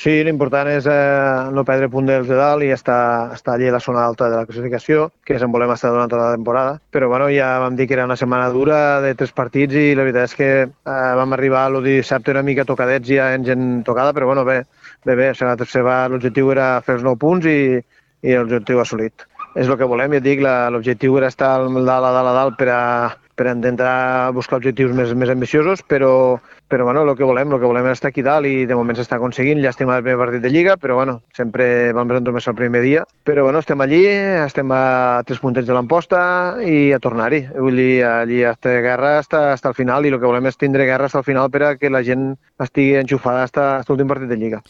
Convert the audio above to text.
Sí, l'important és no perdre punt dels de dalt i estar allà a la zona alta de la classificació, que és on volem estar durant tota la temporada. Però bueno, ja vam dir que era una setmana dura de 3 partits i la veritat és que vam arribar el dissabte una mica tocadets ja en gent tocada, però bueno, bé. O sigui, l'objectiu era fer els 9 punts i l'objectiu assolit. És el que volem, ja et dic, l'objectiu era estar a dalt per intentar buscar objectius més ambiciosos, però bueno, el que volem és estar aquí dalt i de moment s'està aconseguint. Llàstima el primer partit de Lliga, però bueno, sempre vam presentar el primer dia. Però bueno, estem allí, estem a 3 puntets de l'Amposta i a tornar-hi. Vull dir, allí està guerra està al final i el que volem és tindre guerra fins al final per a que la gent estigui enxufada fins l'últim partit de Lliga.